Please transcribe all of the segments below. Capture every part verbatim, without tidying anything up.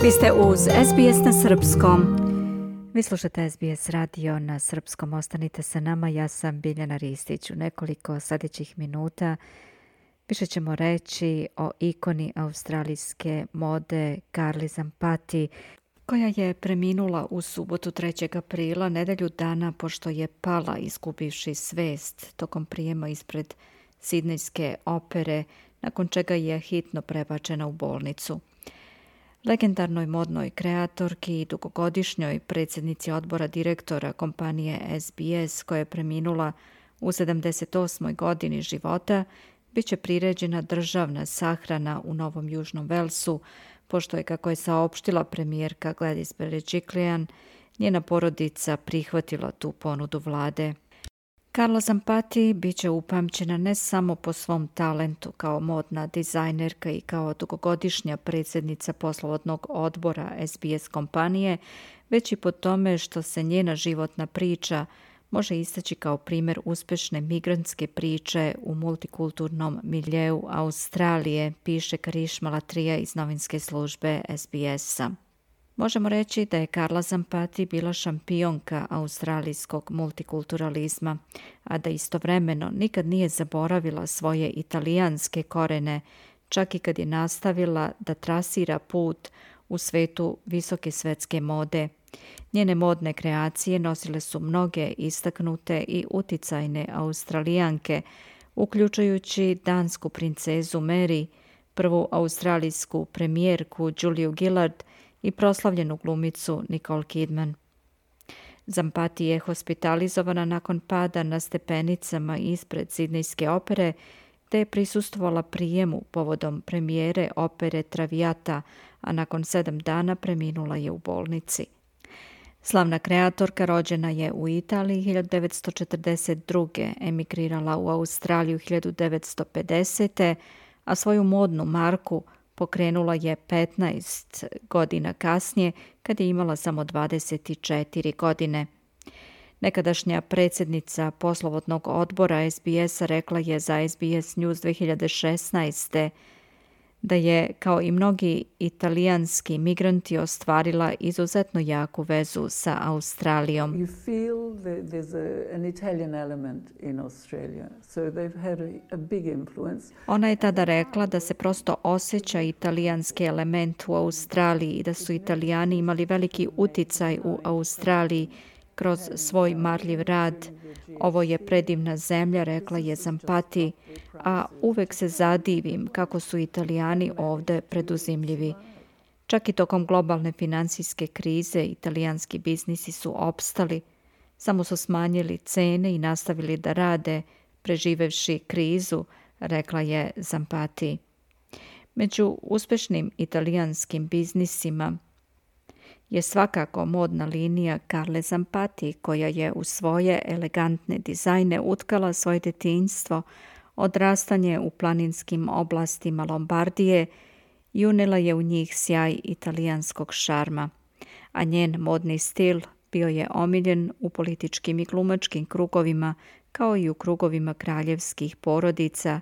Vi ste uz S B S na srpskom. Vi slušate S B S radio na srpskom. Ostanite sa nama. Ja sam Biljana Ristić. U nekoliko sljedećih minuta više ćemo reći o ikoni australijske mode Carli Zampatti, koja je preminula u subotu trećeg aprila, nedelju dana pošto je pala izgubivši svest tokom prijema ispred Sidnejske opere, nakon čega je hitno prebačena u bolnicu. Legendarnoj modnoj kreatorki i dugogodišnjoj predsjednici odbora direktora kompanije S B S, koja je preminula u sedamdeset osmoj godini života, bit će priređena državna sahrana u Novom Južnom Velsu, pošto je, kako je saopštila premijerka Gladys Berejiklian, njena porodica prihvatila tu ponudu vlade. Carla Zampatti bit će upamćena ne samo po svom talentu kao modna dizajnerka i kao dugogodišnja predsjednica poslovodnog odbora S B S kompanije, već i po tome što se njena životna priča može istaći kao primjer uspješne migrantske priče u multikulturnom miljeu Australije, piše Karišma Latrija iz novinske službe S B S-a. Možemo reći da je Carla Zampatti bila šampionka australijskog multikulturalizma, a da istovremeno nikad nije zaboravila svoje italijanske korene, čak i kad je nastavila da trasira put u svetu visoke svetske mode. Njene modne kreacije nosile su mnoge istaknute i uticajne Australijanke, uključujući dansku princezu Mary, prvu australijsku premijerku Juliu Gillard i proslavljenu glumicu Nicole Kidman. Zampatti je hospitalizovana nakon pada na stepenicama ispred Sidnejske opere, te je prisustvovala prijemu povodom premijere opere Traviata, a nakon sedam dana preminula je u bolnici. Slavna kreatorka rođena je u Italiji hiljadu devetsto četrdeset druge, emigrirala u Australiju hiljadu devetsto pedesete. a svoju modnu marku pokrenula je petnaest godina kasnije, kad je imala samo dvadeset četiri godine. Nekadašnja predsjednica poslovodnog odbora S B S-a rekla je za S B S News dvije hiljade šesnaeste. da je, kao i mnogi italijanski migranti, ostvarila izuzetno jaku vezu sa Australijom. You feel that there's a, an Italian element in Australia, so they've had a, a big influence. Ona je tada rekla da se prosto osjeća italijanski element u Australiji i da su Italijani imali veliki uticaj u Australiji kroz svoj marljiv rad. Ovo je predivna zemlja, rekla je Zampatti, a uvek se zadivim kako su Italijani ovde preduzimljivi. Čak i tokom globalne financijske krize italijanski biznisi su opstali, samo su smanjili cene i nastavili da rade, preživevši krizu, rekla je Zampatti. Među uspešnim italijanskim biznisima je svakako modna linija Carle Zampatti, koja je u svoje elegantne dizajne utkala svoje detinjstvo, odrastanje u planinskim oblastima Lombardije i unela je u njih sjaj italijanskog šarma, a njen modni stil bio je omiljen u političkim i glumačkim krugovima, kao i u krugovima kraljevskih porodica,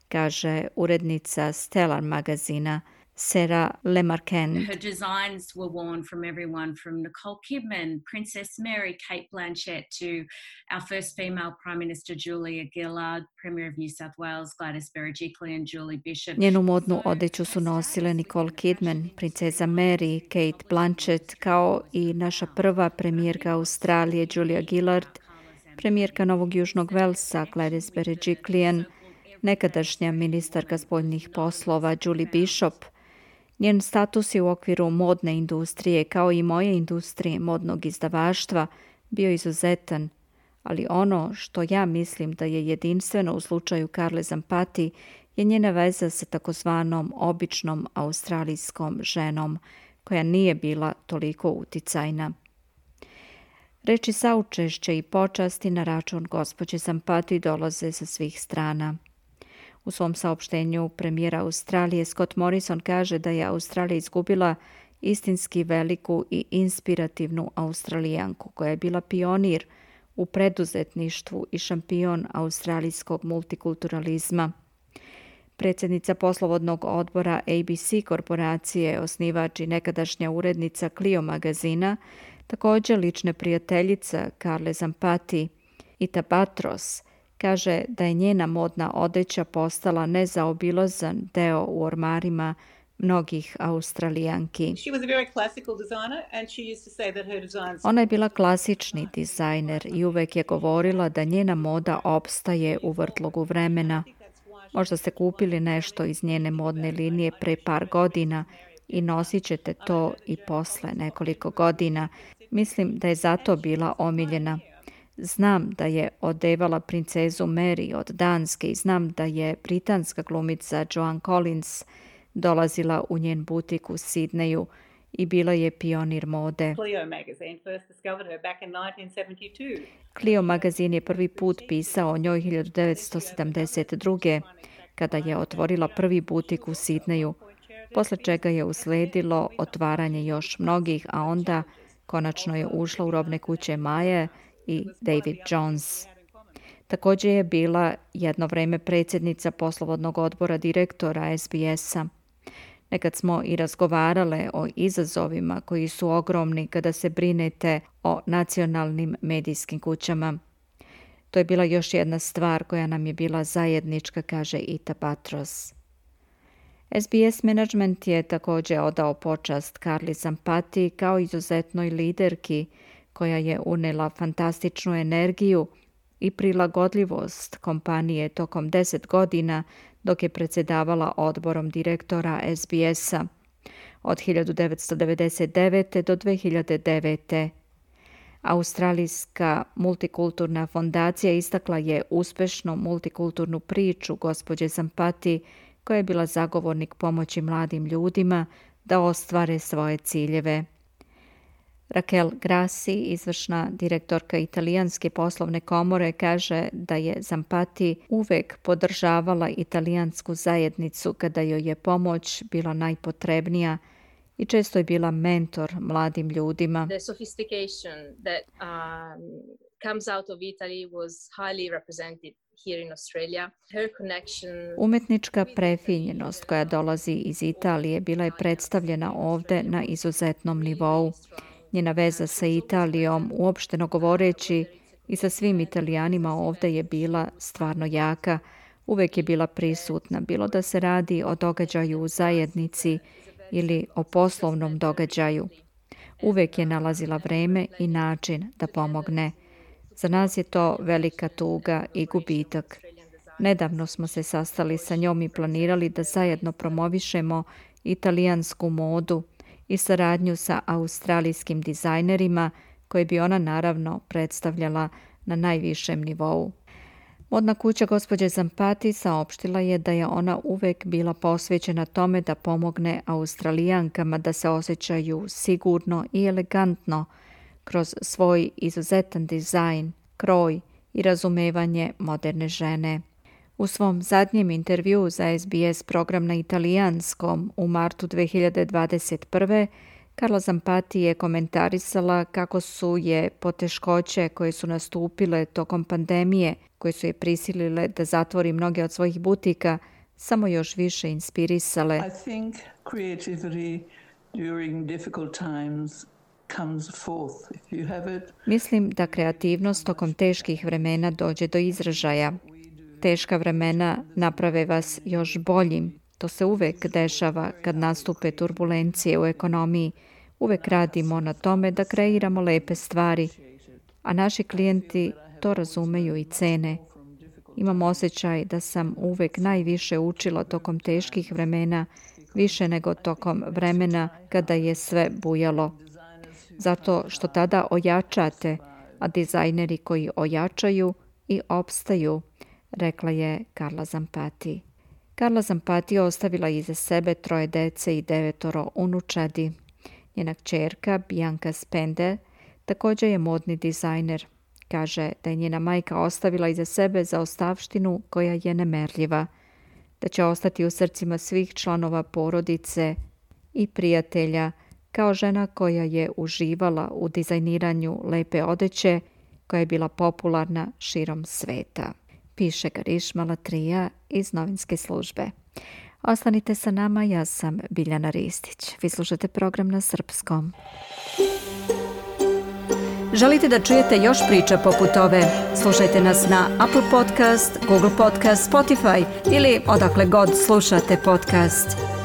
kaže urednica Stellar magazina Sarah Lemarchand. Her designs were worn from everyone from Nicole Kidman, Princess Mary, Kate Blanchett to our first female Prime Minister Julia Gillard, Premier of New South Wales Gladys Berejiklian, Julie Bishop. Njenu modnu odeću su nosile Nicole Kidman, princeza Mary, Kate Blanchett, kao i naša prva premijerka Australije Julia Gillard, premijerka Novog Južnog Velsa Gladys Berejiklian, nekadašnja ministarka spoljnih poslova Julie Bishop. Njen status je u okviru modne industrije, kao i moje industrije modnog izdavaštva, bio izuzetan, ali ono što ja mislim da je jedinstveno u slučaju Carle Zampatti je njena veza sa takozvanom običnom australijskom ženom, koja nije bila toliko uticajna. Reči saučešća i počasti na račun gospođe Zampatti dolaze sa svih strana. U svom saopštenju premijera Australije Scott Morrison kaže da je Australija izgubila istinski veliku i inspirativnu Australijanku koja je bila pionir u preduzetništvu i šampion australijskog multikulturalizma. Predsjednica poslovodnog odbora A B C korporacije, osnivač i nekadašnja urednica Clio magazina, također lična prijateljica Carle Zampati, Ita Patros, kaže da je njena modna odeća postala nezaobilazan deo u ormarima mnogih Australijanki. Ona je bila klasični dizajner i uvek je govorila da njena moda opstaje u vrtlogu vremena. Možda ste kupili nešto iz njene modne linije pre par godina i nosit ćete to i posle nekoliko godina. Mislim da je zato bila omiljena. Znam da je odevala princezu Mary od Danske i znam da je britanska glumica Joan Collins dolazila u njen butik u Sidneju i bila je pionir mode. Clio magazin je prvi put pisao o njoj hiljadu devetsto sedamdeset druge. kada je otvorila prvi butik u Sidneju, posle čega je usledilo otvaranje još mnogih, a onda konačno je ušla u robne kuće Maje i David Jones. Također je bila jedno vreme predsjednica poslovodnog odbora direktora S B S-a. Nekad smo i razgovarale o izazovima koji su ogromni kada se brinete o nacionalnim medijskim kućama. To je bila još jedna stvar koja nam je bila zajednička, kaže Ita Patros. S B S Management je također odao počast Carli Zampati kao izuzetnoj liderki koja je unela fantastičnu energiju i prilagodljivost kompanije tokom deset godina dok je predsjedavala odborom direktora S B S-a od hiljadu devetsto devedeset devete. do dve hiljade devete. Australijska multikulturna fondacija istakla je uspešnu multikulturnu priču gospođe Zampati, koja je bila zagovornik pomoći mladim ljudima da ostvare svoje ciljeve. Raquel Grassi, izvršna direktorka Italijanske poslovne komore, kaže da je Zampati uvek podržavala italijansku zajednicu kada joj je pomoć bila najpotrebnija i često je bila mentor mladim ljudima. The sophistication that um, comes out of Italy was highly represented here in Australia. Her connection... Umetnička prefinjenost koja dolazi iz Italije bila je predstavljena ovde na izuzetnom nivou. Njena veza sa Italijom, uopšteno govoreći, i sa svim Italijanima ovde je bila stvarno jaka. Uvek je bila prisutna, bilo da se radi o događaju u zajednici ili o poslovnom događaju. Uvek je nalazila vreme i način da pomogne. Za nas je to velika tuga i gubitak. Nedavno smo se sastali sa njom i planirali da zajedno promovišemo italijansku modu i saradnju sa australijskim dizajnerima koje bi ona naravno predstavljala na najvišem nivou. Modna kuća gospođe Zampati saopštila je da je ona uvek bila posvećena tome da pomogne Australijankama da se osjećaju sigurno i elegantno kroz svoj izuzetan dizajn, kroj i razumevanje moderne žene. U svom zadnjem intervjuu za S B S program na italijanskom u martu dve hiljade dvadeset prve. Carla Zampati je komentarisala kako su je poteškoće koje su nastupile tokom pandemije, koje su je prisilile da zatvori mnoge od svojih butika, samo još više inspirisale. I think creativity during difficult times comes forth. If you have it. Mislim da kreativnost tokom teških vremena dođe do izražaja. Teška vremena naprave vas još boljim. To se uvek dešava kad nastupe turbulencije u ekonomiji. Uvek radimo na tome da kreiramo lepe stvari, a naši klijenti to razumeju i cene. Imam osjećaj da sam uvek najviše učila tokom teških vremena, više nego tokom vremena kada je sve bujalo. Zato što tada ojačate, a dizajneri koji ojačaju i opstaju, rekla je Carla Zampati. Carla Zampati ostavila iza sebe troje dece i devetoro unučadi. Njena kćerka Bianca Spender također je modni dizajner. Kaže da je njena majka ostavila iza sebe zaostavštinu koja je nemerljiva, da će ostati u srcima svih članova porodice i prijatelja kao žena koja je uživala u dizajniranju lepe odeće koja je bila popularna širom sveta. Piše Garišma Latrija iz novinske službe. Ostanite sa nama, ja sam Biljana Ristić. Vi slušate program na srpskom. Želite da čujete još priča poput ove? Slušajte nas na Apple Podcast, Google Podcast, Spotify ili odakle god slušate podcast.